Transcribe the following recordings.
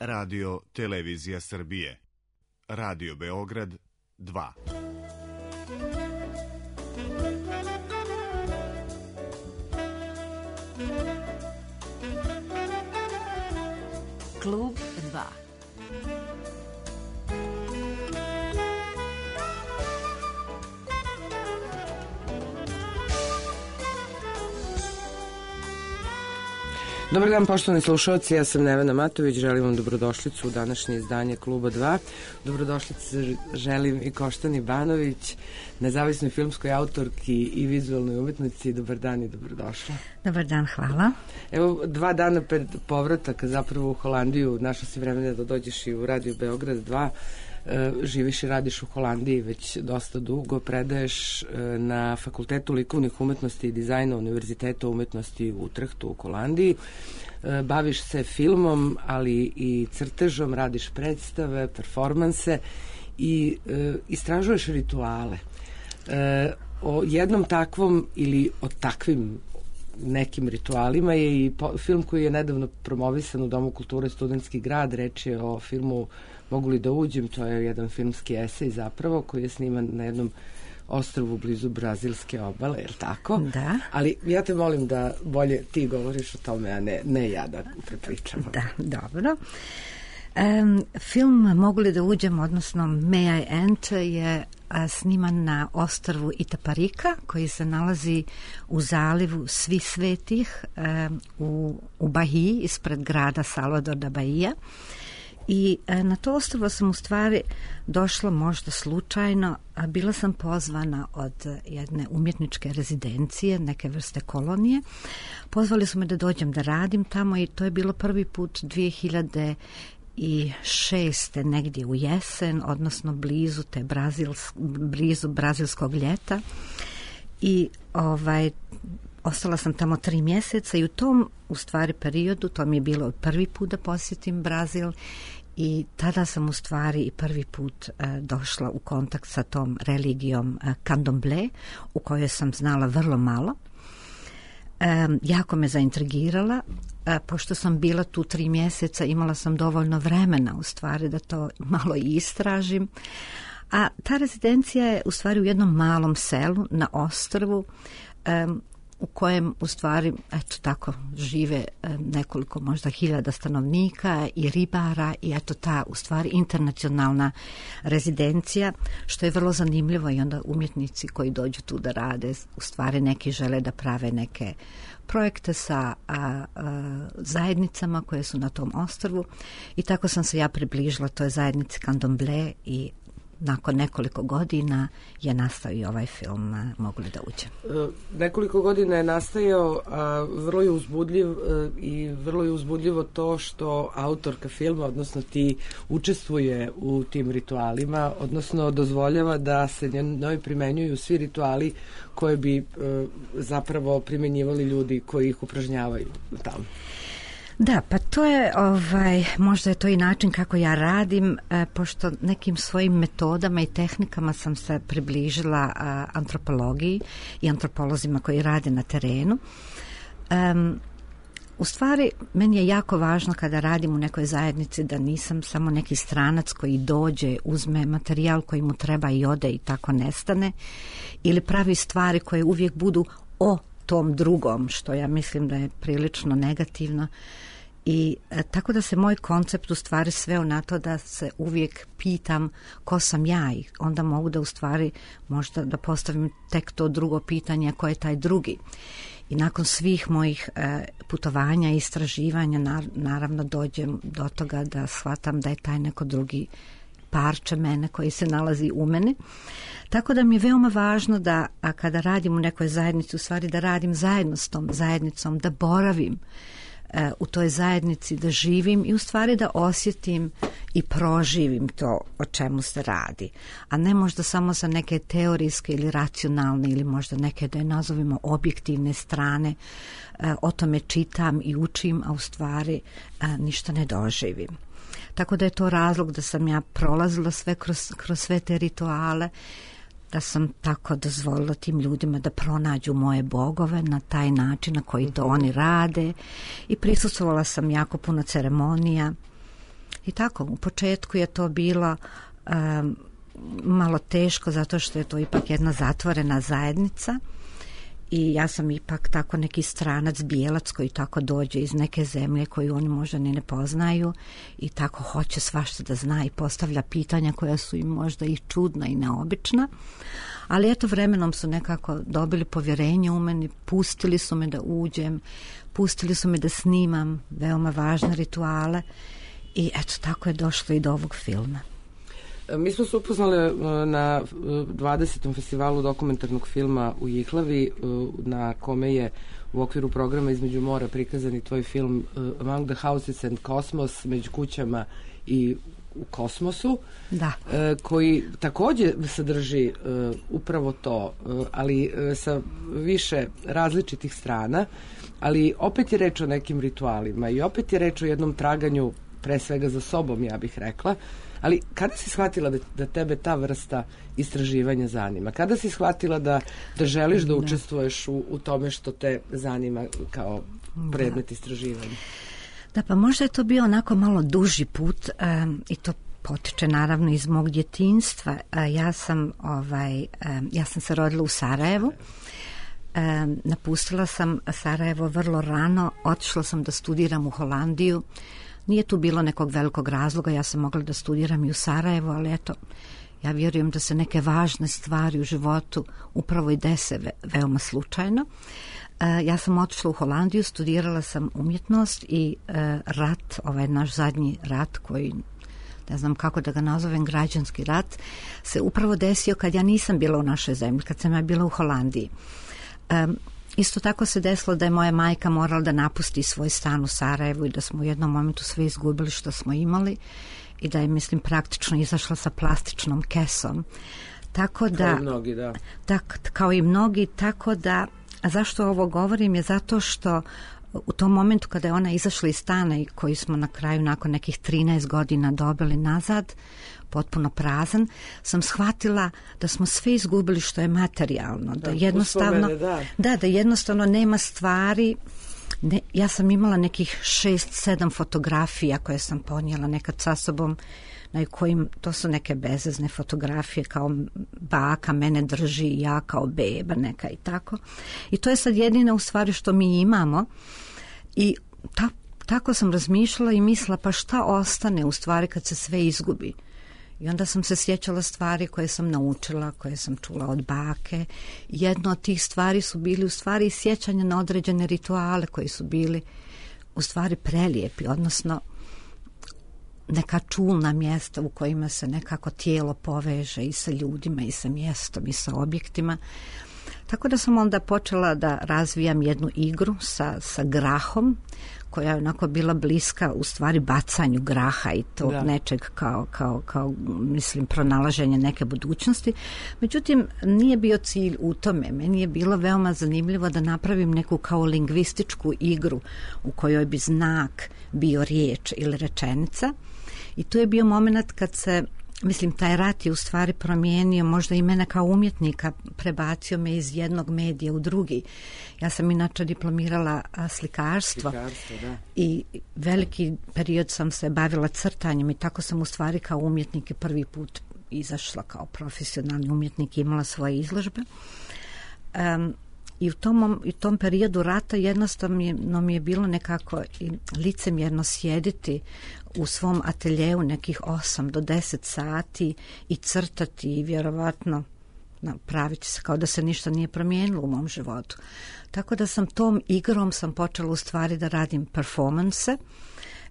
Radio Televizija Srbije. Radio Beograd 2. Klub 2. Dobar dan, poštovani slušalci, ja sam Nevena Matović, želim vam dobrodošlicu u današnje izdanje Kluba 2. Dobrodošlicu želim i Koštani Banović, nezavisnoj filmskoj autorki i vizualnoj umetnici. Dobar dan i dobrodošla. Dobar dan, hvala. Evo, 2 dana pred povrataka zapravo u Holandiju, našla si vremena da dođeš i u Radio Beograd 2. Živiš i radiš u Holandiji već dosta dugo, predaješ na Fakultetu likovnih umetnosti i dizajna Univerziteta umetnosti u Utrehtu u Holandiji. Baviš se filmom, ali i crtežom, radiš predstave, performanse i istražuješ rituale. O jednom takvom ili o takvim nekim ritualima je i film koji je nedavno promovisan u Domu kulture Studentski grad. Reč je o filmu Mogu li da uđem, to je jedan filmski esej zapravo koji je sniman na jednom ostrvu blizu brazilske obale, je li tako? Da. Ali ja te molim da bolje ti govoriš o tome, a ne ja da prepričam. Da, dobro. Film Mogu li da uđem, odnosno May I Enter, je sniman na ostrvu Itaparika, koji se nalazi u zalivu Svih svetih u Bahiji, ispred grada Salvador da Bahija. I na to ostrvo sam u stvari došla možda slučajno, a bila sam pozvana od jedne umjetničke rezidencije, neke vrste kolonije. Pozvali su me da dođem da radim tamo i to je bilo prvi put 2006. negdje u jesen, odnosno blizu brazilskog ljeta. I ostala sam tamo 3 mjeseca i u tom u stvari periodu, to mi je bilo prvi put da posjetim Brazil i tada sam u stvari i prvi put došla u kontakt sa tom religijom Candomblé, u kojoj sam znala vrlo malo. Jako me zaintrigirala, pošto sam bila tu 3 mjeseca, imala sam dovoljno vremena u stvari da to malo istražim. A ta rezidencija je u stvari u jednom malom selu na ostrvu, u kojem u stvari, eto tako, žive nekoliko možda 1000 stanovnika i ribara i eto ta u stvari internacionalna rezidencija, što je vrlo zanimljivo i onda umjetnici koji dođu tu da rade, u stvari neki žele da prave neke projekte sa zajednicama koje su na tom ostrvu i tako sam se ja približila toj zajednici Candomblé i nakon nekoliko godina je nastao i ovaj film Mogu li da uđem. Nekoliko godina je nastajao, a vrlo je uzbudljiv i vrlo je uzbudljivo to što autorka filma, odnosno ti, učestvuje u tim ritualima, odnosno dozvoljava da se njoj primenjuju svi rituali koje bi zapravo primenjivali ljudi koji ih upražnjavaju tamo. Da, pa to je, možda je to i način kako ja radim, pošto nekim svojim metodama i tehnikama sam se približila antropologiji i antropolozima koji rade na terenu. U stvari, meni je jako važno kada radim u nekoj zajednici da nisam samo neki stranac koji dođe, uzme materijal koji mu treba i ode i tako nestane, ili pravi stvari koje uvijek budu o tom drugom, što ja mislim da je prilično negativno. I tako da se moj koncept u stvari sveo na to da se uvijek pitam ko sam ja i onda mogu da u stvari možda da postavim tek to drugo pitanje, ko je taj drugi. I nakon svih mojih putovanja i istraživanja naravno dođem do toga da shvatam da je taj neko drugi parče mene koji se nalazi u mene. Tako da mi je veoma važno da kada radim u nekoj zajednici, u stvari da radim zajedno s tom zajednicom, da boravim u toj zajednici, da živim i u stvari da osjetim i proživim to o čemu se radi. A ne možda samo sa neke teorijske ili racionalne ili možda neke da je nazovimo objektivne strane. O tome čitam i učim, a u stvari ništa ne doživim. Tako da je to razlog da sam ja prolazila sve kroz sve te rituale, da sam tako dozvolila tim ljudima da pronađu moje bogove na taj način na koji to oni rade i prisustvovala sam jako puno ceremonija I tako, u početku je to bilo malo teško zato što je to ipak jedna zatvorena zajednica i ja sam ipak tako neki stranac, bijelac koji tako dođe iz neke zemlje koju oni možda ni ne poznaju i tako hoće svašta da zna i postavlja pitanja koja su im možda i čudna i neobična. Ali eto, vremenom su nekako dobili povjerenje u meni, pustili su me da uđem, pustili su me da snimam veoma važne rituale i eto, tako je došlo i do ovog filma. Mi smo se upoznali na 20. festivalu dokumentarnog filma u Jihlavi, na kome je u okviru programa Između mora prikazan i tvoj film Among the Houses and Cosmos, među kućama i u kosmosu, da. Koji takođe sadrži upravo to, ali sa više različitih strana, ali opet je reč o nekim ritualima i opet je reč o jednom traganju pre svega za sobom, ja bih rekla. Ali kada si shvatila da tebe ta vrsta istraživanja zanima? Kada si shvatila da želiš da učestvuješ u tome što te zanima kao predmet istraživanja? Da, pa možda je to bio onako malo duži put i to potiče naravno iz mog djetinjstva. Ja sam se rodila u Sarajevu. Napustila sam Sarajevo vrlo rano, otišla sam da studiram u Holandiju. Nije tu bilo nekog velikog razloga, ja sam mogla da studiram i u Sarajevu, ali eto, ja vjerujem da se neke važne stvari u životu upravo i dese veoma slučajno. Ja sam otišla u Holandiju, studirala sam umjetnost i rat, ovaj naš zadnji rat koji, ne znam kako da ga nazovem, građanski rat, se upravo desio kad ja nisam bila u našoj zemlji, kad sam ja bila u Holandiji. Isto tako se desilo da je moja majka morala da napusti svoj stan u Sarajevu i da smo u jednom momentu sve izgubili što smo imali i da je, mislim, praktično izašla sa plastičnom kesom. Tako da, kao i mnogi, da. Kao i mnogi, tako da, a zašto ovo govorim je zato što u tom momentu kada je ona izašla iz stana i koji smo na kraju nakon nekih 13 godina dobili nazad, potpuno prazan, sam shvatila da smo sve izgubili što je materijalno, da jednostavno da jednostavno nema stvari. Ja sam imala nekih 6-7 fotografija koje sam ponijela nekad sa sobom, na kojim, to su neke bezvezne fotografije, kao baka mene drži i ja kao beba neka i tako. I to je sad jedina u stvari što mi imamo i tako sam razmišljala i mislila pa šta ostane u stvari kad se sve izgubi. I onda sam se sjećala stvari koje sam naučila, koje sam čula od bake. Jedno od tih stvari su bili u stvari sjećanja na određene rituale koji su bili u stvari prelijepi, odnosno neka čulna mjesta u kojima se nekako tijelo poveže i sa ljudima i sa mjestom i sa objektima. Tako da sam onda počela da razvijam jednu igru sa grahom koja je onako bila bliska u stvari bacanju graha i tog nečeg kao mislim pronalaženje neke budućnosti. Međutim, nije bio cilj u tome. Meni je bilo veoma zanimljivo da napravim neku kao lingvističku igru u kojoj bi znak bio riječ ili rečenica. I tu je bio moment kad se, mislim, taj rat je u stvari promijenio možda i mene kao umjetnika, prebacio me iz jednog medija u drugi. Ja sam inače diplomirala slikarstvo i veliki period sam se bavila crtanjem i tako sam u stvari kao umjetnik prvi put izašla kao profesionalni umjetnik i imala svoje izložbe. I u tom periodu rata jednostavno mi je bilo nekako licemjerno sjediti u svom ateljeju nekih 8 do 10 sati i crtati i vjerovatno praviti se kao da se ništa nije promijenilo u mom životu. Tako da sam tom igrom počela u stvari da radim performanse,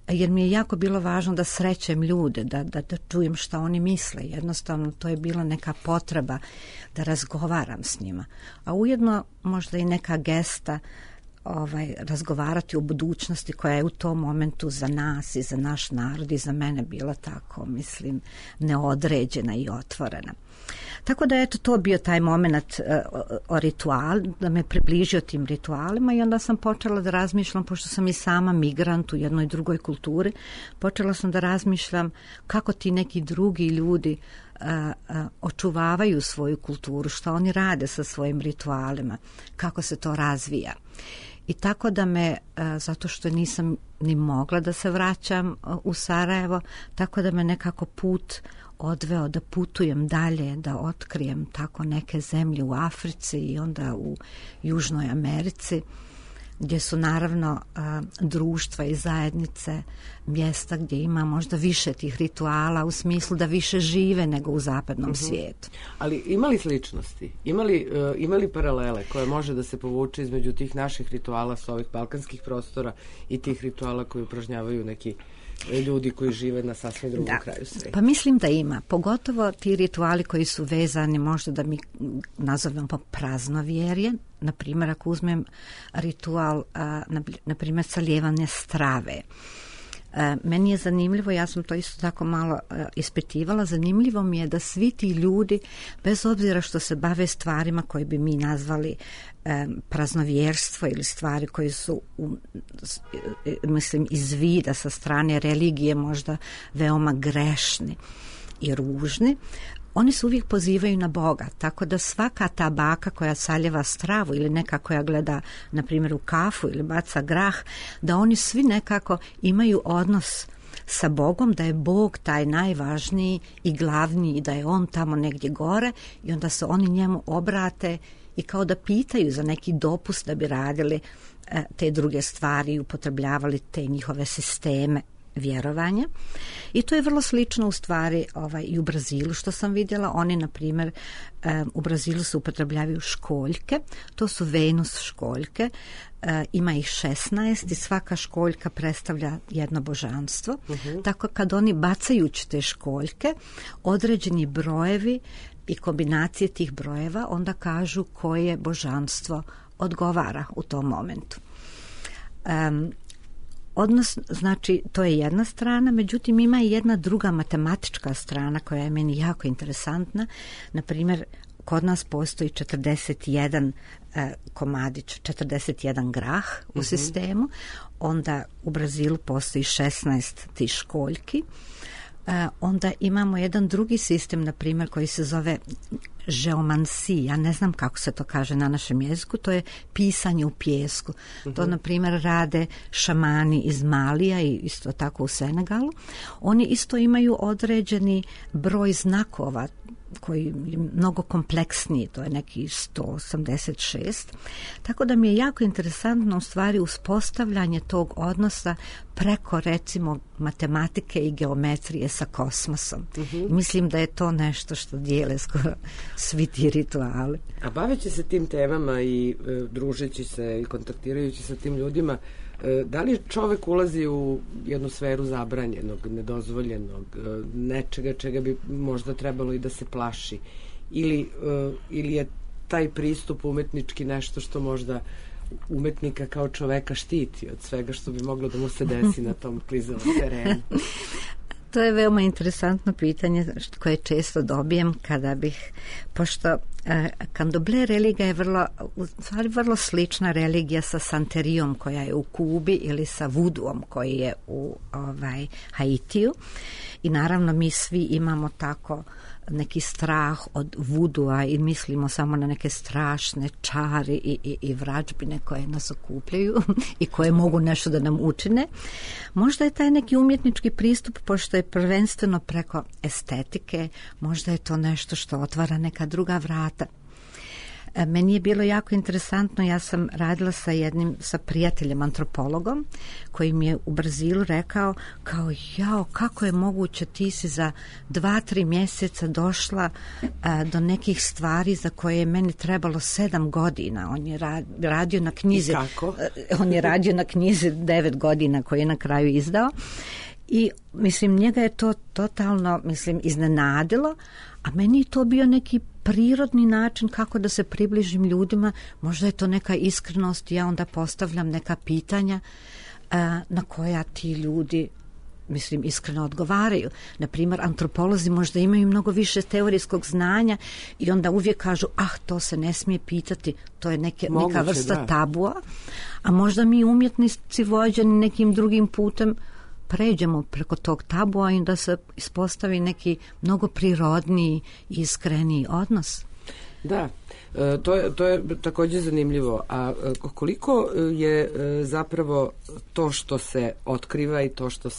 jer mi je jako bilo važno da srećem ljude, da čujem šta oni misle. Jednostavno to je bila neka potreba da razgovaram s njima. A ujedno možda i neka gesta razgovarati o budućnosti koja je u tom momentu za nas i za naš narod i za mene bila tako, mislim, neodređena i otvorena. Tako da eto, to bio taj moment o ritual, da me približio tim ritualima i onda sam počela da razmišljam, pošto sam i sama migrant u jednoj drugoj kulturi, počela sam da razmišljam kako ti neki drugi ljudi očuvavaju svoju kulturu, što oni rade sa svojim ritualima, kako se to razvija. I tako da me, zato što nisam ni mogla da se vraćam u Sarajevo, tako da me nekako put odveo da putujem dalje, da otkrijem tako neke zemlje u Africi i onda u Južnoj Americi, gdje su naravno društva i zajednice mjesta gdje ima možda više tih rituala u smislu da više žive nego u zapadnom svijetu. Ali ima li sličnosti? Ima li paralele koje može da se povuče između tih naših rituala sa ovih balkanskih prostora i tih rituala koji upražnjavaju neki ljudi koji žive na sasvim drugom kraju svijeta? Pa mislim da ima. Pogotovo ti rituali koji su vezani možda da mi nazovemo praznovjerje. Na primjer, ako uzmem ritual, na primjer, salijevanje strave. Meni je zanimljivo, ja sam to isto tako malo ispitivala, zanimljivo mi je da svi ti ljudi, bez obzira što se bave stvarima koje bi mi nazvali praznovjerstvo ili stvari koje su mislim iz vida sa strane religije možda veoma grešni i ružni, oni se uvijek pozivaju na Boga, tako da svaka ta baka koja saljeva stravu ili neka koja gleda, na primjer, u kafu ili baca grah, da oni svi nekako imaju odnos sa Bogom, da je Bog taj najvažniji i glavniji i da je on tamo negdje gore i onda se oni njemu obrate i kao da pitaju za neki dopust da bi radili te druge stvari i upotrebljavali te njihove sisteme vjerovanja. I to je vrlo slično u stvari i u Brazilu što sam vidjela. Oni, na primjer, u Brazilu se upotrebljavaju školjke. To su Venus školjke. Ima ih 16 i svaka školjka predstavlja jedno božanstvo. Tako kad oni bacajući te školjke, određeni brojevi i kombinacije tih brojeva onda kažu koje božanstvo odgovara u tom momentu. Odnos, znači, to je jedna strana, međutim ima i jedna druga matematička strana koja je meni jako interesantna. Na primjer, kod nas postoji 41 komadić, 41 grah u sistemu, onda u Brazilu postoji 16 tih školjki. Onda imamo jedan drugi sistem, na primjer, koji se zove geomansija, ja ne znam kako se to kaže na našem jeziku, to je pisanje u pijesku. To, na primjer, rade šamani iz Malija i isto tako u Senegalu. Oni isto imaju određeni broj znakova koji je mnogo kompleksniji, to je neki 186. Tako da mi je jako interesantno u stvari uspostavljanje tog odnosa preko, recimo, matematike i geometrije sa kosmosom. Mislim da je to nešto što dijele skoro svi ti rituali. A baveći se tim temama i družeći se i kontaktirajući sa tim ljudima, da li čovek ulazi u jednu sferu zabranjenog, nedozvoljenog, nečega čega bi možda trebalo i da se plaši? Ili je taj pristup umetnički nešto što možda umetnika kao čoveka štiti od svega što bi moglo da mu se desi na tom klizavom terenu? To je veoma interesantno pitanje koje često dobijem kada bih, pošto Candomblé religija je vrlo slična religija sa Santerijom koja je u Kubi ili sa Vuduom koji je u Haitiju i naravno mi svi imamo tako neki strah od vudua i mislimo samo na neke strašne čari i vrađbine koje nas okupljaju i koje mogu nešto da nam učine. Možda je taj neki umjetnički pristup, pošto je prvenstveno preko estetike, možda je to nešto što otvara neka druga vrata. Meni je bilo jako interesantno, ja sam radila sa prijateljem antropologom koji mi je u Brazilu rekao kao kako je moguće, ti si za 2-3 mjeseca došla do nekih stvari za koje je meni trebalo 7 godina. On je radio na knjizi. On je radio na knjizi 9 godina koju je na kraju izdao. I mislim, njega je to totalno, iznenadilo, a meni je to bio neki prirodni način kako da se približim ljudima. Možda je to neka iskrenost, ja onda postavljam neka pitanja na koja ti ljudi iskreno odgovaraju. Na primjer, antropolozi možda imaju mnogo više teorijskog znanja i onda uvijek kažu, to se ne smije pitati, to je neka vrsta tabua, a možda mi umjetnici vođeni nekim drugim putem pređemo preko tog tabua i da se ispostavi neki mnogo prirodniji i iskreniji odnos. Da, to je takođe zanimljivo. A koliko je zapravo to što se otkriva i to što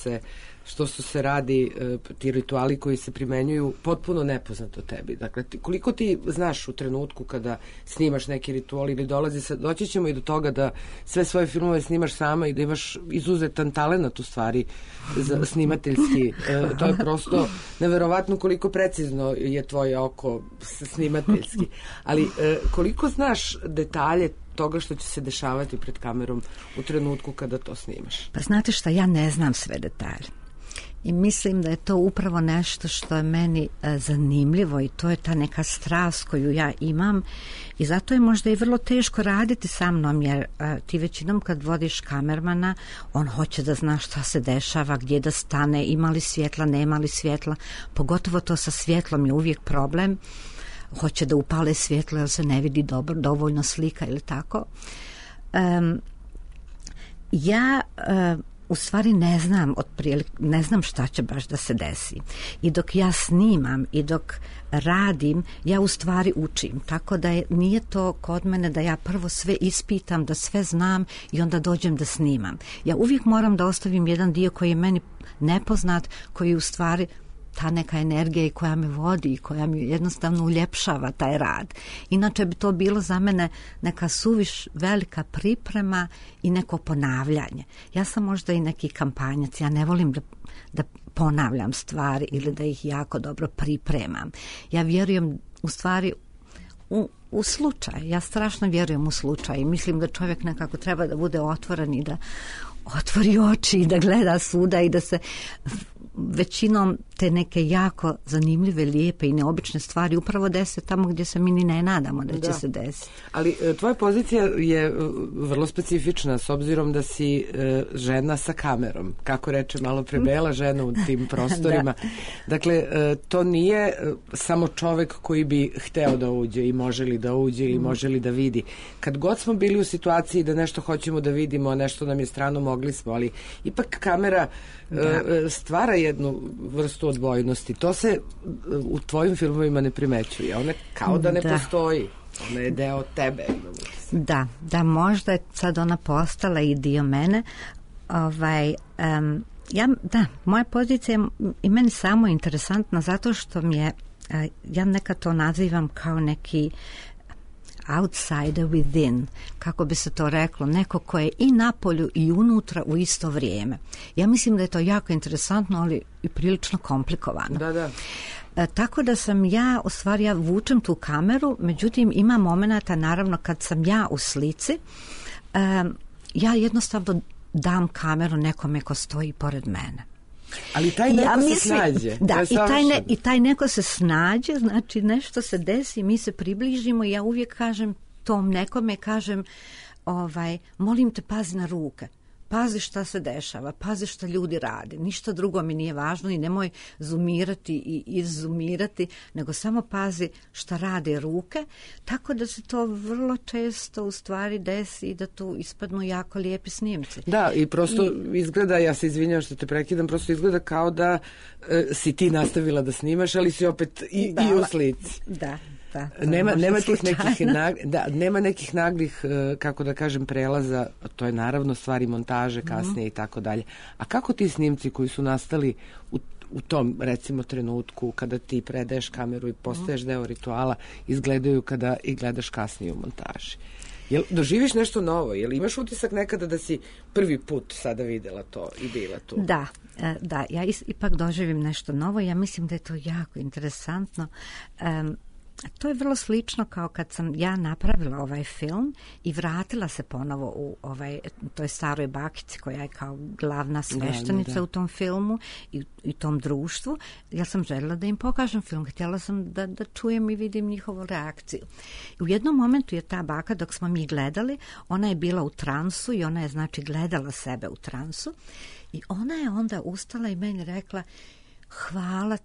se radi, ti rituali koji se primenjuju, potpuno nepoznato tebi? Dakle, koliko ti znaš u trenutku kada snimaš neki ritual ili doći ćemo i do toga da sve svoje filmove snimaš sama i da imaš izuzetan talenat u stvari za snimateljski. To je prosto neverovatno koliko precizno je tvoje oko snimateljski. Ali koliko znaš detalje toga što će se dešavati pred kamerom u trenutku kada to snimaš? Pa znate šta, ja ne znam sve detalje. I mislim da je to upravo nešto što je meni zanimljivo i to je ta neka strast koju ja imam i zato je možda i vrlo teško raditi sa mnom jer ti većinom kad vodiš kamermana on hoće da zna šta se dešava, gdje da stane, ima li svjetla, nema li svjetla, pogotovo to sa svjetlom je uvijek problem, hoće da upale svjetlo jer se ne vidi dovoljno slika ili tako. U stvari ne znam šta će baš da se desi. I dok ja snimam i dok radim, ja u stvari učim. Tako da nije to kod mene da ja prvo sve ispitam, da sve znam i onda dođem da snimam. Ja uvijek moram da ostavim jedan dio koji je meni nepoznat, koji u stvari ta neka energija i koja me vodi i koja mi jednostavno uljepšava taj rad. Inače bi to bilo za mene neka suviš velika priprema i neko ponavljanje. Ja sam možda i neki kampanjac, ja ne volim da ponavljam stvari ili da ih jako dobro pripremam. Ja vjerujem u stvari u slučaj. Ja strašno vjerujem u slučaj i mislim da čovjek nekako treba da bude otvoren i da otvori oči i da gleda svuda i da se većinom te neke jako zanimljive, lijepe i neobične stvari upravo dese tamo gdje se mi ni ne nadamo da će se desiti. Ali tvoja pozicija je vrlo specifična s obzirom da si žena sa kamerom. Kako reče malo pre Bela, žena u tim prostorima. Dakle, to nije samo čovek koji bi hteo da uđe i može li da uđe ili može li da vidi. Kad god smo bili u situaciji da nešto hoćemo da vidimo, nešto nam je strano, mogli smo, ali ipak kamera stvara jednu vrstu odbojnosti. To se u tvojim filmovima ne primećuje. Ona kao da ne postoji. Ona je deo tebe. Da, možda je sad ona postala i dio mene. Moja pozicija je i meni samo interesantna zato što mi je, ja nekad to nazivam kao neki outsider within, kako bi se to reklo, neko ko je i napolju i unutra u isto vrijeme. Ja mislim da je to jako interesantno, ali i prilično komplikovano. Da. Tako da sam ja, u stvari ja vučem tu kameru, međutim ima momenata naravno kad sam ja u slici, ja jednostavno dam kameru nekome ko stoji pored mene. Ali taj neko se snađe. Da, i taj neko se snađe, znači nešto se desi, mi se približimo i ja uvijek kažem tom nekome, molim te pazi na ruke, pazi šta se dešava, pazi šta ljudi rade, ništa drugo mi nije važno i nemoj zoomirati i izzoomirati, nego samo pazi šta rade ruke, tako da se to vrlo često u stvari desi i da tu ispadnu jako lijepi snimci. Da, i prosto izgleda, ja se izvinjam što te prekidam, prosto izgleda kao da si ti nastavila da snimaš, ali si opet i u slici. Da. Nema nekih naglih, kako da kažem, prelaza, to je naravno stvari montaže kasnije i tako dalje. A kako ti snimci koji su nastali u tom, recimo, trenutku kada ti predaješ kameru i postaješ deo rituala, izgledaju kada i gledaš kasnije u montaži? Jel doživiš nešto novo? Jel imaš utisak nekada da si prvi put sada videla to i bila tu? Da, ja ipak doživim nešto novo. Ja mislim da je to jako interesantno. To je vrlo slično kao kad sam ja napravila ovaj film i vratila se ponovo u toj staroj bakici koja je kao glavna sveštenica u tom filmu i tom društvu. Ja sam željela da im pokažem film, htjela sam da čujem i vidim njihovu reakciju. I u jednom momentu je ta baka, dok smo mi gledali, ona je bila u transu i ona je znači gledala sebe u transu i ona je onda ustala i meni rekla: Hvala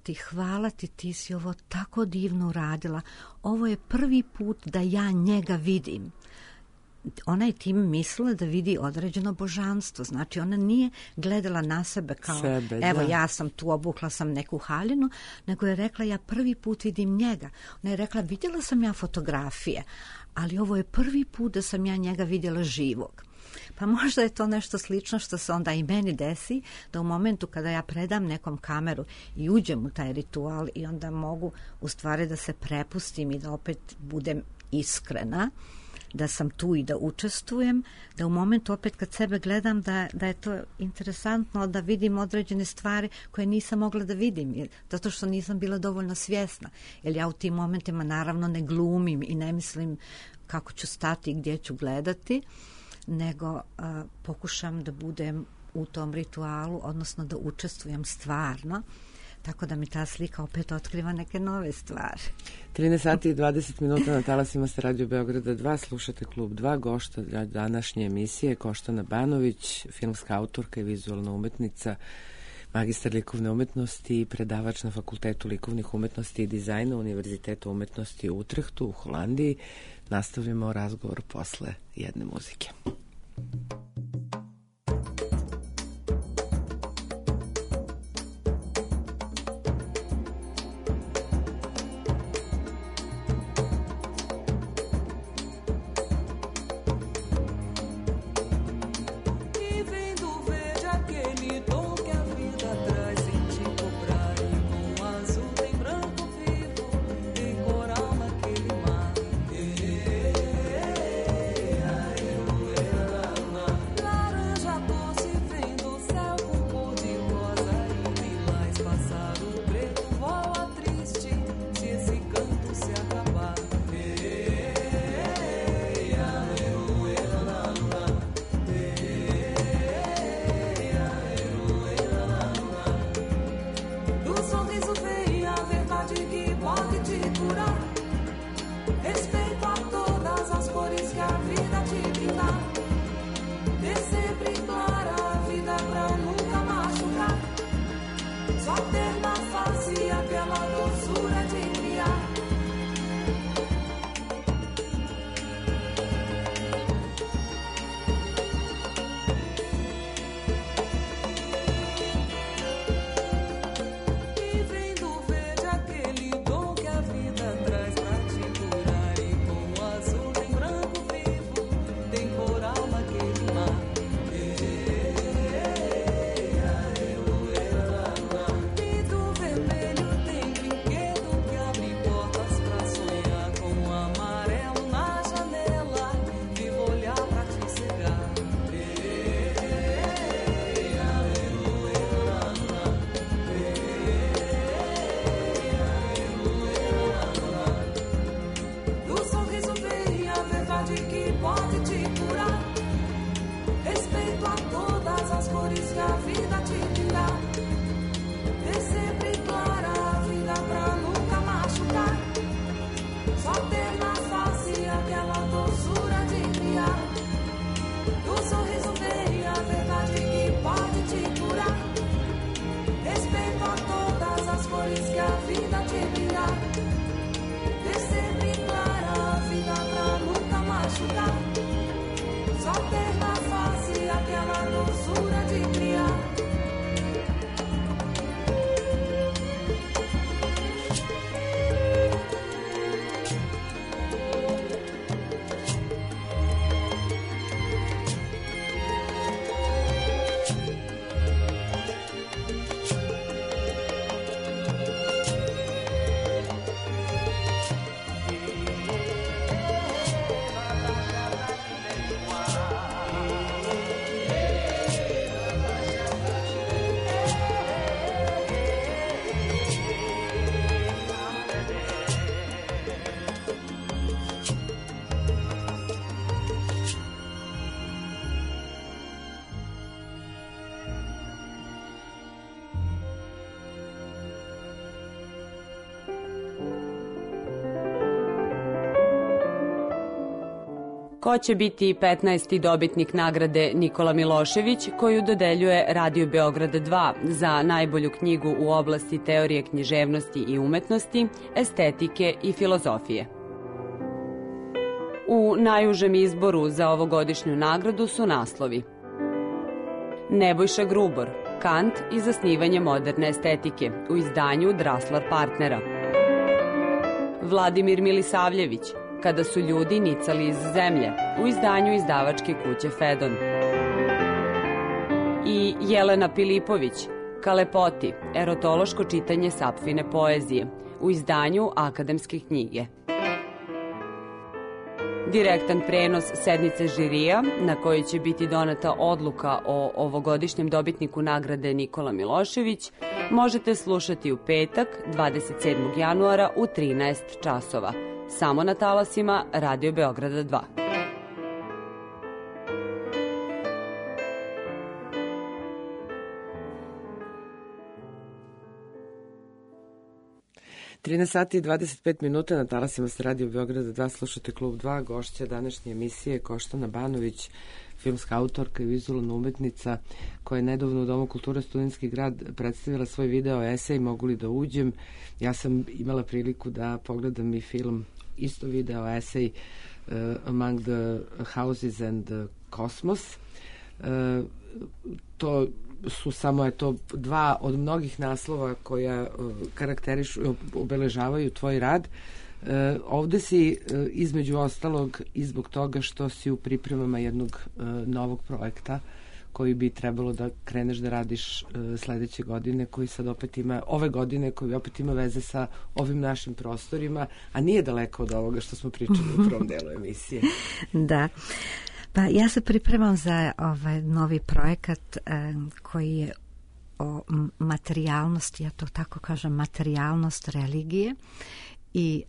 ti, ti si ovo tako divno uradila. Ovo je prvi put da ja njega vidim. ona je tim mislila da vidi određeno božanstvo. Znači, ona nije gledala na sebe kao, evo, ja sam tu, obukla sam neku haljinu, nego je rekla, ja prvi put vidim njega. Ona je rekla, vidjela sam ja fotografije, ali ovo je prvi put da sam ja njega vidjela živog. Pa možda je to nešto slično što se onda i meni desi, da u momentu kada ja predam nekom kameru i uđem u taj ritual i onda mogu u stvari da se prepustim i da opet budem iskrena, da sam tu i da učestvujem, da u momentu opet kad sebe gledam da je to interesantno da vidim određene stvari koje nisam mogla da vidim, zato što nisam bila dovoljno svjesna. Jer ja u tim momentima naravno ne glumim i ne mislim kako ću stati i gdje ću gledati, nego pokušam da budem u tom ritualu, odnosno da učestvujem stvarno, tako da mi ta slika opet otkriva neke nove stvari. 13 sati i 20 minuta na talasima sa Radio Beograda 2, slušate Klub 2, gošta današnje emisije Koštana Banović, filmska autorka i vizualna umetnica, magistar likovne umetnosti i predavač na Fakultetu likovnih umetnosti i dizajna Univerziteta umetnosti u Utrehtu u Holandiji. Nastavljamo razgovor posle jedne muzike. Ko će biti 15. dobitnik nagrade Nikola Milošević, koju dodeljuje Radio Beograd 2 za najbolju knjigu u oblasti teorije književnosti i umetnosti, estetike i filozofije. U najužem izboru za ovogodišnju nagradu su naslovi: Nebojša Grubor, Kant i zasnivanje moderne estetike u izdanju Draslar Partnera. Vladimir Milisavljević, Kada su ljudi nicali iz zemlje u izdanju izdavačke kuće Fedon. I Jelena Pilipović, Kalepoti, erotološko čitanje Sapfine poezije u izdanju Akademske knjige. Direktan prenos sednice žirija na kojoj će biti doneta odluka o ovogodišnjem dobitniku nagrade Nikola Milošević možete slušati u petak 27. januara u 13 časova, samo na talasima Radio Beograda 2. sati i 25 minuta na talasima sa Radio Beograda 2 slušate Klub 2, gošća današnje emisije Koštana Banović, filmska autorka i vizualna umetnica koja je nedavno u Domu kulture Studentski grad predstavila svoj video esej Mogu li da uđem. Ja sam imala priliku da pogledam i film, isto video esej Among the Houses and the Cosmos. To su samo dva od mnogih naslova koja karakterišu, obeležavaju tvoj rad. Ovde si između ostalog i zbog toga što si u pripremama jednog novog projekta koji bi trebalo da kreneš da radiš sledeće godine, koji sad opet ima, ove godine, koji opet ima veze sa ovim našim prostorima, a nije daleko od ovoga što smo pričali u prvom delu emisije. Da. Pa ja se pripremam za ovaj novi projekat koji je o materijalnosti, ja to tako kažem, materijalnost religije, i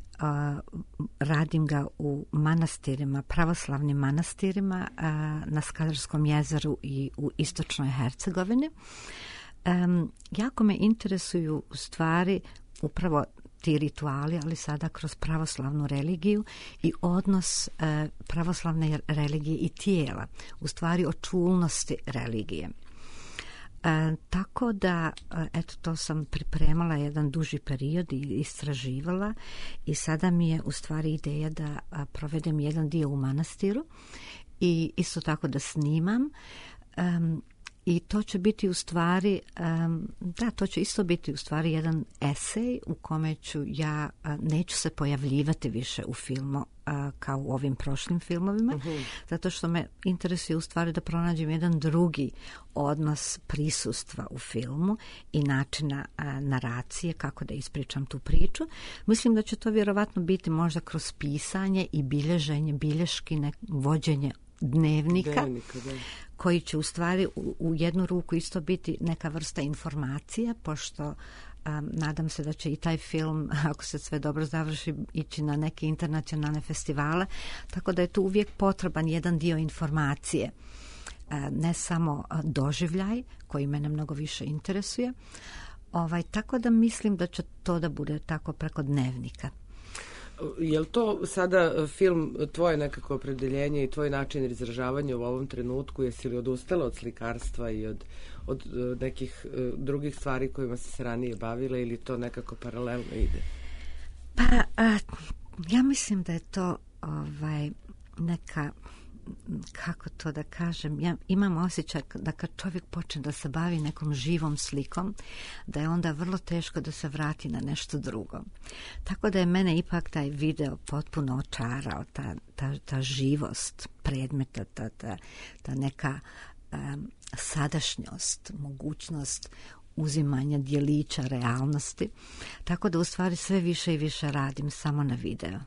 radim ga u manastirima, pravoslavnim manastirima na Skadarskom jezeru i u istočnoj Hercegovini. Jako me interesuju stvari upravo ti rituali, ali sada kroz pravoslavnu religiju i odnos pravoslavne religije i tijela, u stvari o čulnosti religije. Tako da, eto, to sam pripremala jedan duži period i istraživala i sada mi je u stvari ideja da provedem jedan dio u manastiru i isto tako da snimam. I to će biti u stvari, to će isto biti u stvari jedan esej u kome ću ja, neću se pojavljivati više u filmu kao u ovim prošlim filmovima, zato što me interesuje u stvari da pronađem jedan drugi odnos prisustva u filmu i načina naracije, kako da ispričam tu priču. Mislim da će to vjerovatno biti možda kroz pisanje i bilježenje, bilješki, vođenje dnevnika koji će u stvari u jednu ruku isto biti neka vrsta informacija, pošto nadam se da će i taj film, ako se sve dobro završi, ići na neke internacionalne festivale, tako da je tu uvijek potreban jedan dio informacije, ne samo doživljaj koji mene mnogo više interesuje, tako da mislim da će to da bude tako preko dnevnika. Je li to sada film tvoje nekako opredeljenje i tvoj način izražavanja u ovom trenutku? Jesi li odustala od slikarstva i od nekih drugih stvari kojima si se ranije bavila ili to nekako paralelno ide? Pa, ja mislim da je to neka, kako to da kažem, ja imam osjećaj da kad čovjek počne da se bavi nekom živom slikom, da je onda vrlo teško da se vrati na nešto drugo. Tako da je mene ipak taj video potpuno očarao, ta živost predmeta, ta neka sadašnjost, mogućnost uzimanja dijelića realnosti. Tako da u stvari sve više i više radim samo na video.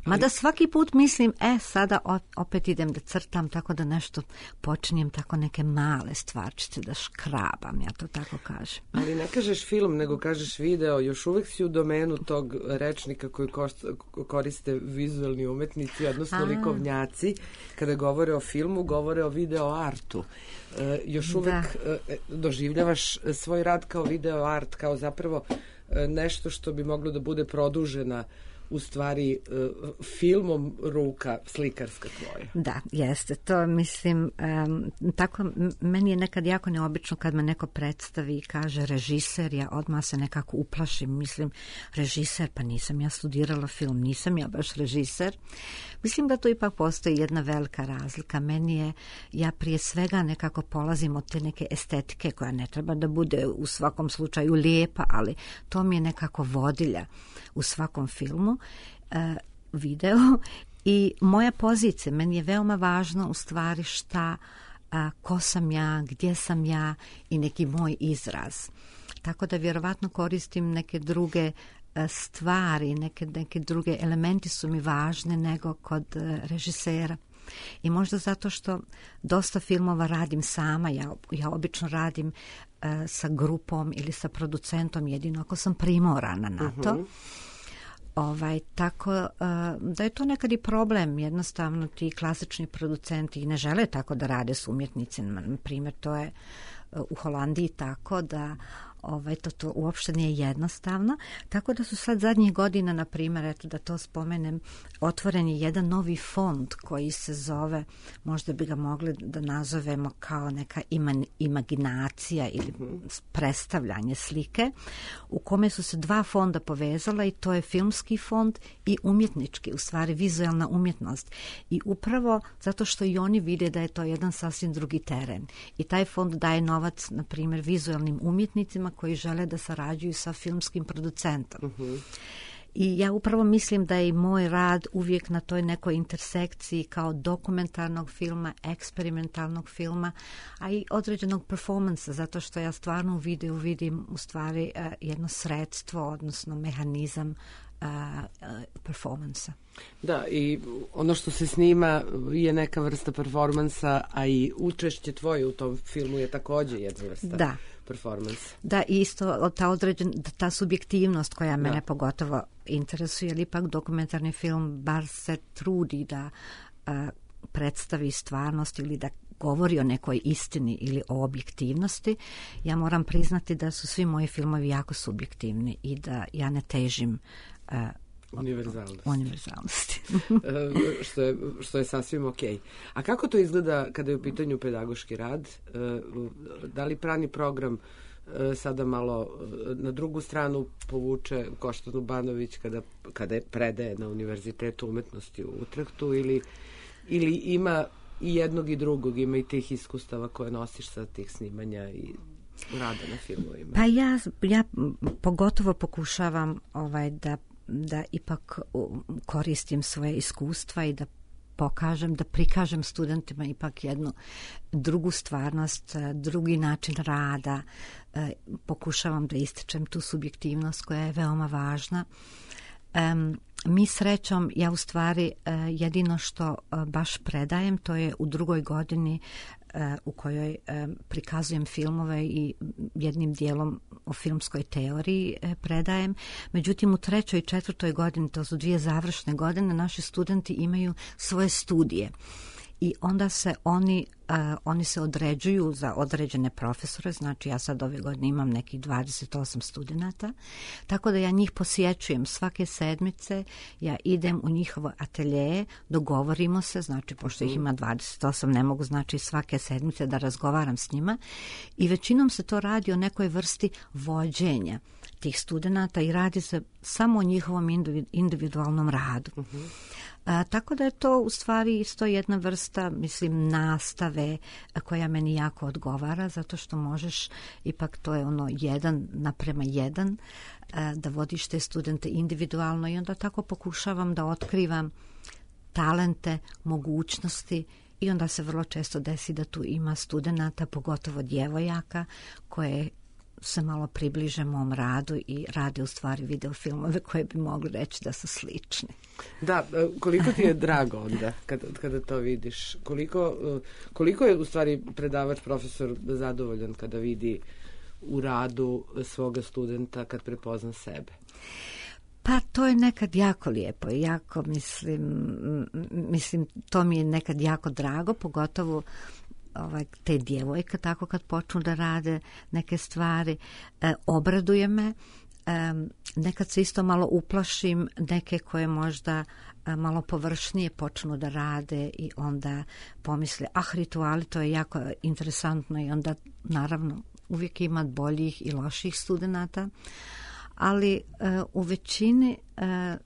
Mada svaki put mislim, sada opet idem da crtam, tako da nešto počinjem, tako neke male stvarčice da škrabam, ja to tako kažem. Ali ne kažeš film, nego kažeš video, još uvek si u domenu tog rečnika koji koriste vizualni umetnici, odnosno likovnjaci, kada govore o filmu, govore o video artu. Još uvek doživljavaš svoj rad kao video art, kao zapravo nešto što bi moglo da bude produžena u stvari filmom ruka slikarska tvoja. Da, jeste. To mislim, tako, meni je nekad jako neobično kad me neko predstavi i kaže režiser, ja odmah se nekako uplašim. Mislim, režiser, pa nisam ja studirala film, nisam ja baš režiser. Mislim da tu ipak postoji jedna velika razlika. Meni je, ja prije svega nekako polazim od te neke estetike koja ne treba da bude u svakom slučaju lijepa, ali to mi je nekako vodilja u svakom filmu, video. I moja pozicija, meni je veoma važno u stvari šta, ko sam ja, gdje sam ja i neki moj izraz. Tako da vjerovatno koristim neke druge stvari, neke druge elementi su mi važne nego kod režisera. I možda zato što dosta filmova radim sama, ja obično radim sa grupom ili sa producentom, jedino ako sam primorana na to. Tako da je to nekad i problem. Jednostavno ti klasični producenti ne žele tako da rade s umjetnicima. Na primjer, to je u Holandiji tako da to uopšte nije jednostavno. Tako da su sad zadnjih godina, na primjer, eto da to spomenem, otvoren je jedan novi fond koji se zove, možda bi ga mogli da nazovemo kao neka imaginacija ili predstavljanje slike, u kome su se dva fonda povezala i to je filmski fond i umjetnički, u stvari vizualna umjetnost. I upravo zato što i oni vide da je to jedan sasvim drugi teren. I taj fond daje novac, na primjer, vizualnim umjetnicima koji žele da sarađuju sa filmskim producentom. I ja upravo mislim da je i moj rad uvijek na toj nekoj intersekciji kao dokumentarnog filma, eksperimentalnog filma, a i određenog performansa, zato što ja stvarno u videu vidim u stvari jedno sredstvo, odnosno mehanizam performansa. Da, i ono što se snima je neka vrsta performansa, a i učešće tvoje u tom filmu je također jedna vrsta performansa. Da, isto ta subjektivnost koja mene pogotovo interesuje, ali ipak dokumentarni film bar se trudi da predstavi stvarnost ili da govori o nekoj istini ili o objektivnosti. Ja moram priznati da su svi moji filmovi jako subjektivni i da ja ne težim univerzalnosti. što je sasvim okej. A kako to izgleda kada je u pitanju pedagoški rad? Da li Prani program sada malo na drugu stranu povuče Koštanu Banović kada predaje na Univerzitetu umetnosti u Utrehtu ili ima i jednog i drugog, ima i tih iskustava koje nosiš sa tih snimanja i rada na filmovima? Pa ja pogotovo pokušavam da ipak koristim svoje iskustva i da prikažem studentima ipak jednu drugu stvarnost, drugi način rada. Pokušavam da ističem tu subjektivnost koja je veoma važna. Mi srećom, ja u stvari jedino što baš predajem, to je u drugoj godini u kojoj prikazujem filmove i jednim dijelom o filmskoj teoriji predajem. Međutim, u 3. i 4. godini, to su 2 završne godine, naši studenti imaju svoje studije. I onda se oni se određuju za određene profesore, znači ja sad ove godine imam nekih 28 studenata, tako da ja njih posjećujem svake sedmice, ja idem u njihovo atelje, dogovorimo se, znači pošto ih ima 28, ne mogu znači svake sedmice da razgovaram s njima i većinom se to radi o nekoj vrsti vođenja tih studenata i radi se samo o njihovom individualnom radu. Tako da je to u stvari isto jedna vrsta, mislim, nastave koja meni jako odgovara, zato što možeš, ipak to je 1:1, da vodiš te studente individualno i onda tako pokušavam da otkrivam talente, mogućnosti i onda se vrlo često desi da tu ima studenata, pogotovo djevojaka, koje se malo približe mom radu i rade u stvari videofilmove koje bi mogli reći da su slični. Da, koliko ti je drago onda kada to vidiš? Koliko je u stvari predavač, profesor zadovoljan kada vidi u radu svoga studenta, kad prepozna sebe? Pa to je nekad jako lijepo i jako mislim to mi je nekad jako drago, pogotovo te djevojke tako kad počnu da rade neke stvari, obraduje me, nekad se isto malo uplašim neke koje možda malo površnije počnu da rade i onda pomisle, rituali, to je jako interesantno i onda naravno uvijek ima boljih i loših studenata, ali u većini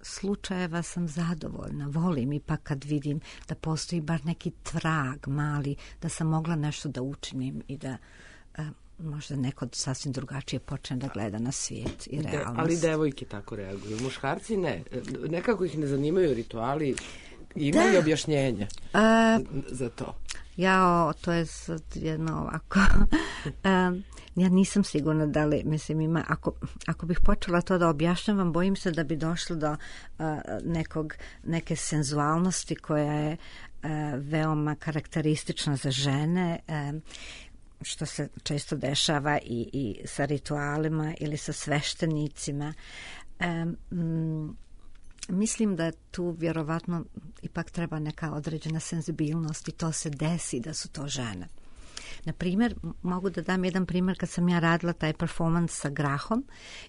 slučajeva sam zadovoljna. Volim ipak kad vidim da postoji bar neki trag mali, da sam mogla nešto da učinim i da možda neko sasvim drugačije počne da gleda na svijet i realnost. Ali devojke tako reaguju, muškarci ne. Nekako ih ne zanimaju rituali, imaju objašnjenja za to. To je sad jedno ovako. Ja nisam sigurna da li, mislim, ima, ako bih počela to da objašnjavam, bojim se da bi došlo do neke senzualnosti koja je veoma karakteristična za žene, što se često dešava i sa ritualima ili sa sveštenicima. Mislim da tu vjerovatno ipak treba neka određena senzibilnost i to se desi da su to žene. Na primjer, mogu da dam jedan primjer kad sam ja radila taj performans sa grahom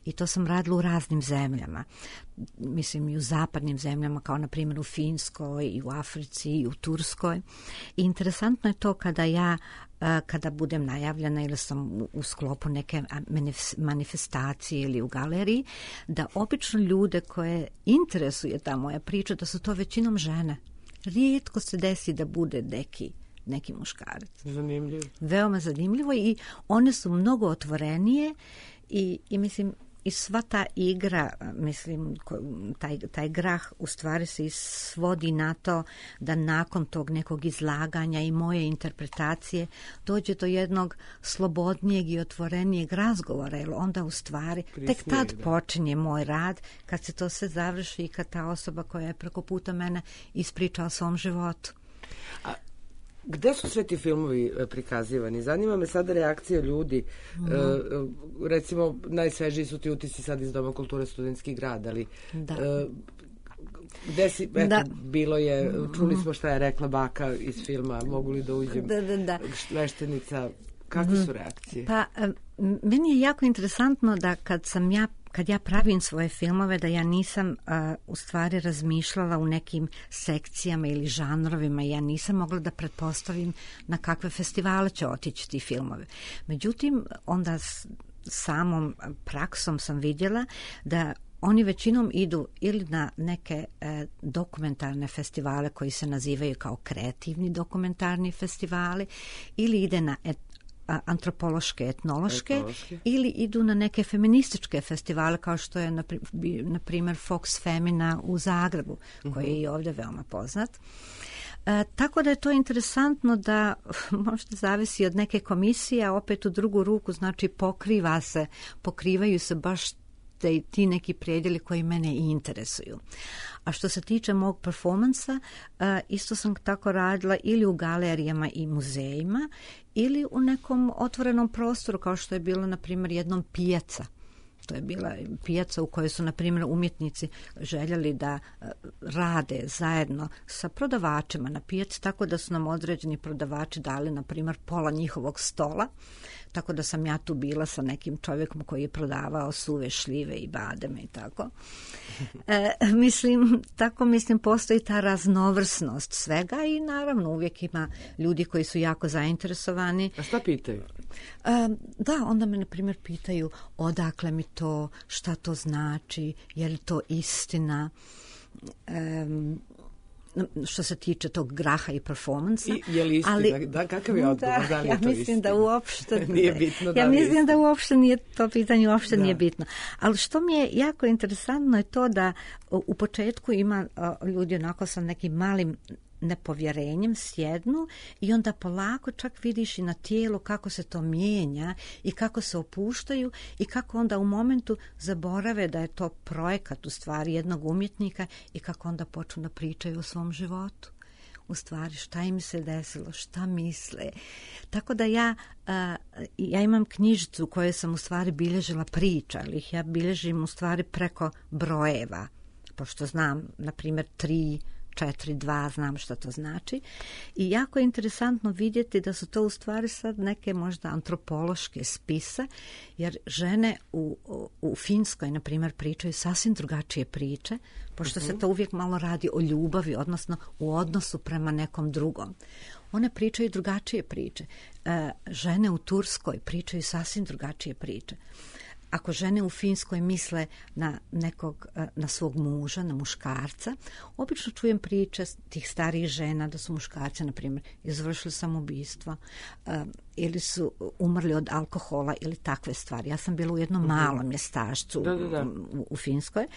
i to sam radila u raznim zemljama. Mislim i u zapadnim zemljama kao na primjer u Finskoj i u Africi i u Turskoj. I interesantno je to kada budem najavljena ili sam u sklopu neke manifestacije ili u galeriji, da obično ljude koje interesuje ta moja priča, da su to većinom žene. Rijetko se desi da bude neki muškarac. Zanimljivo. Veoma zanimljivo i one su mnogo otvorenije i mislim i sva ta igra, mislim, taj grah u stvari se svodi na to da nakon tog nekog izlaganja i moje interpretacije dođe do jednog slobodnijeg i otvorenijeg razgovora, jer onda u stvari tek tad počinje moj rad, kad se to sve završi i kad ta osoba koja je preko puta mene ispriča o svom životu. Gde su sve ti filmovi prikazivani? Zanima me sada reakcija ljudi. Recimo, najsvežiji su ti utisci sad iz Doma kulture Studentski grad, ali gde si, bilo je, čuli smo šta je rekla baka iz filma, mogu li da uđem, sveštenica, kakve su reakcije? Pa, meni je jako interesantno da kad ja pravim svoje filmove, da ja nisam u stvari razmišljala u nekim sekcijama ili žanrovima, ja nisam mogla da pretpostavim na kakve festivale će otići ti filmove. Međutim, onda samom praksom sam vidjela da oni većinom idu ili na neke dokumentarne festivale koji se nazivaju kao kreativni dokumentarni festivali, ili ide na antropološke, etnološke, ili idu na neke feminističke festivale kao što je na primjer Fox Femina u Zagrebu, koji je i ovdje veoma poznat. Tako da je to interesantno da možda zavisi od neke komisije, a opet u drugu ruku znači pokrivaju se baš ti neki predjeli koji mene i interesuju. A što se tiče mog performansa, isto sam tako radila ili u galerijama i muzejima ili u nekom otvorenom prostoru kao što je bilo na primjer jednom pijaca. To je bila pijaca u kojoj su, na primjer, umjetnici željeli da rade zajedno sa prodavačima na pijaci, tako da su nam određeni prodavači dali, na primjer, pola njihovog stola, tako da sam ja tu bila sa nekim čovjekom koji je prodavao suve šljive i bademe i tako. Mislim, postoji ta raznovrsnost svega i naravno uvijek ima ljudi koji su jako zainteresovani. A šta pitaju? Da, onda me, na primjer, pitaju odakle mi to, šta to znači, je li to istina, što se tiče tog graha i performansa. Je li istina? Kakav je odgovor? Da li je to mislim istina? Da uopšte nije bitno. Ja mislim da uopšte nije to pitanje, uopšte nije bitno. Ali što mi je jako interesantno je to da u početku ima ljudi onako sa nekim malim nepovjerenjem sjednu i onda polako čak vidiš i na tijelu kako se to mijenja i kako se opuštaju i kako onda u momentu zaborave da je to projekat u stvari jednog umjetnika i kako onda počnu da pričaju o svom životu. U stvari šta im se desilo, šta misle. Tako da ja imam knjižicu u kojoj sam u stvari bilježila priča, ali ih ja bilježim u stvari preko brojeva, pošto znam, na primjer, 3, 4-2, znam što to znači. I jako je interesantno vidjeti da su to u stvari sad neke možda antropološke spise, jer žene u Finskoj, na primjer, pričaju sasvim drugačije priče, pošto se to uvijek malo radi o ljubavi, odnosno u odnosu prema nekom drugom. One pričaju drugačije priče. Žene u Turskoj pričaju sasvim drugačije priče. Ako žene u Finskoj misle na svog muža, na muškarca, obično čujem priče tih starijih žena da su muškarci, na primjer, izvršili samoubistvo ili su umrli od alkohola ili takve stvari. Ja sam bila u jednom malom mjestašcu u Finskoj.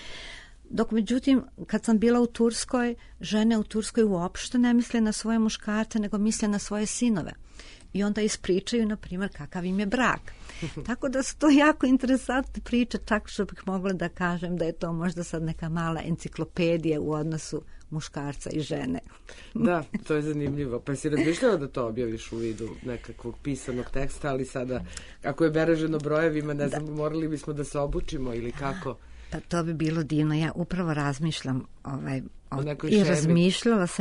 Dok, međutim, kad sam bila u Turskoj, žene u Turskoj uopšte ne misle na svoje muškarce, nego misle na svoje sinove. I onda ispričaju, na primjer, kakav im je brak. Tako da su to jako interesantne priče, čak što bih mogla da kažem da je to možda sad neka mala enciklopedija u odnosu muškarca i žene. Da, to je zanimljivo. Pa si razmišljala da to objaviš u vidu nekakvog pisanog teksta, ali sada, ako je beleženo brojevima, ne znam, morali bismo da se obučimo ili kako? Pa to bi bilo divno. Ja upravo razmišljam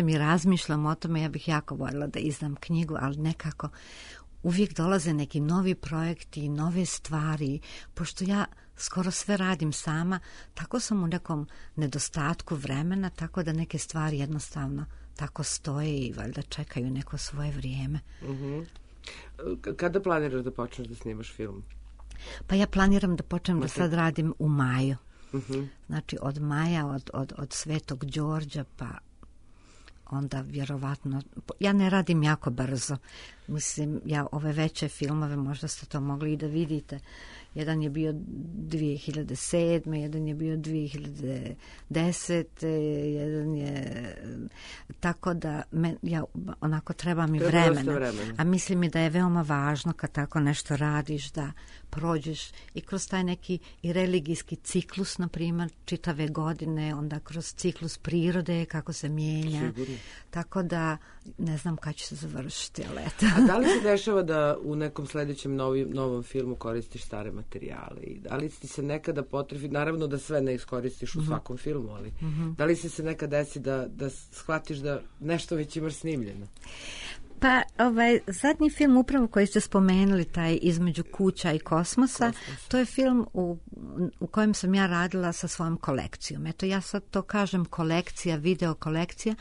i razmišljam o tome. Ja bih jako voljela da izdam knjigu, ali nekako uvijek dolaze neki novi projekti, nove stvari. Pošto ja skoro sve radim sama, tako sam u nekom nedostatku vremena, tako da neke stvari jednostavno tako stoje i valjda čekaju neko svoje vrijeme. Kada planiraš da počneš da snimaš film? Pa ja planiram da počnem da sad radim u maju. Znači od maja, od Svetog Đorđa, pa onda vjerovatno, ja ne radim jako brzo. Mislim, ja ove veće filmove, možda ste to mogli i da vidite. Jedan je bio 2007. Jedan je bio 2010. Jedan je... Tako da ja onako treba mi vremena. A mislim mi da je veoma važno kad tako nešto radiš, da prođeš i kroz taj neki i religijski ciklus, na primjer, čitave godine, onda kroz ciklus prirode, kako se mijenja. Sigurno. Tako da ne znam kada će se završiti, ali eto. A da li se dešava da u nekom sljedećem novom filmu koristiš stare materijale? I da li ti se nekada potrebi, naravno da sve ne iskoristiš u svakom filmu, ali da li se nekad desi da shvatiš da nešto već imaš snimljeno? Pa zadnji film upravo koji ste spomenuli, taj Između kuća i kosmosa, to je film u kojem sam ja radila sa svojom kolekcijom. Eto, ja sad to kažem kolekcija, video kolekcija,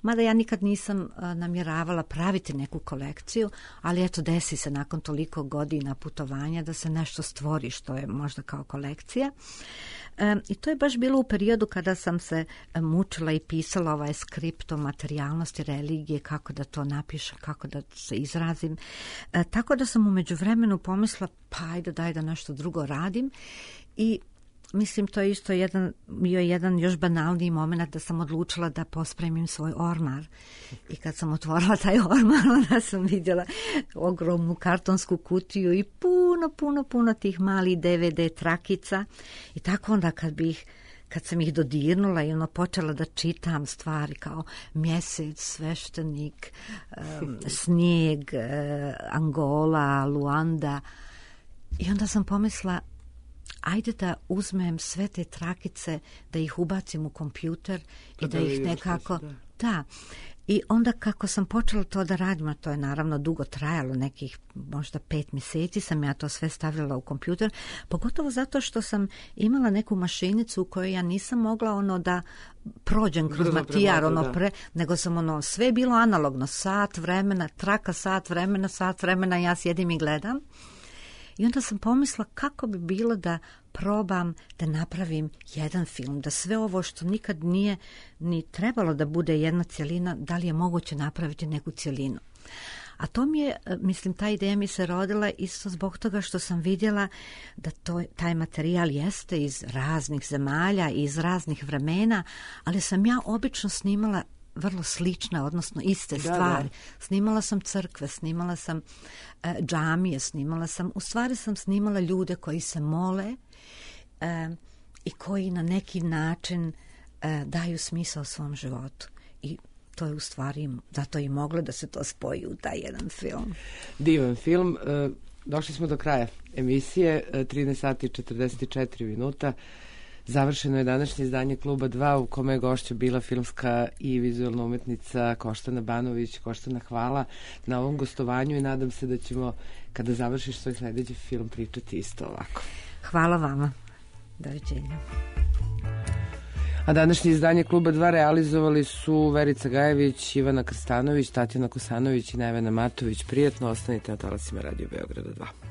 mada ja nikad nisam namjeravala praviti neku kolekciju, ali eto, desi se nakon toliko godina putovanja da se nešto stvori što je možda kao kolekcija. I to je baš bilo u periodu kada sam se mučila i pisala ovaj skript o materijalnosti religije, kako da to napišem, kako da se izrazim. Tako da sam u međuvremenu pomislila, pa ajde daj da nešto drugo radim. I mislim, to je isto bio jedan još banalniji moment da sam odlučila da pospremim svoj ormar. I kad sam otvorila taj ormar, onda sam vidjela ogromnu kartonsku kutiju i puno tih malih DVD trakica. I tako onda kad sam ih dodirnula i počela da čitam stvari kao mjesec, sveštenik, snijeg, Angola, Luanda. I onda sam pomislila, ajde da uzmem sve te trakice, da ih ubacim u kompjuter i da ih nekako... Da. I onda kako sam počela to da radim, a to je naravno dugo trajalo, nekih možda 5 mjeseci sam ja to sve stavljala u kompjuter, pogotovo zato što sam imala neku mašinicu u kojoj ja nisam mogla da prođem kroz matijar, nego sam sve bilo analogno, sat vremena, traka sat vremena, ja sjedim i gledam. I onda sam pomislila kako bi bilo da probam da napravim jedan film, da sve ovo što nikad nije ni trebalo da bude jedna cjelina, da li je moguće napraviti neku cjelinu. A to mi je, mislim, ta ideja mi se rodila isto zbog toga što sam vidjela da taj materijal jeste iz raznih zemalja i iz raznih vremena, ali sam ja obično snimala vrlo slične, odnosno iste stvari. Snimala sam crkve, snimala sam džamije, u stvari sam snimala ljude koji se mole i koji na neki način daju smisao svom životu. I to je u stvari, zato i moglo da se to spoji u taj jedan film. Divan film. Došli smo do kraja emisije, 13 sati i 44 minuta. Završeno je današnje izdanje Kluba 2 u kome je gošća bila filmska i vizualna umetnica Koštana Banović. Koštana, hvala na ovom gostovanju i nadam se da ćemo, kada završiš svoj sledeći film, pričati isto ovako. Hvala vama. Doviđenja. A današnje izdanje Kluba 2 realizovali su Verica Gajević, Ivana Krstanović, Tatjana Kosanović i Nevena Matović. Prijatno, ostanite na talasima Radio Beograda 2.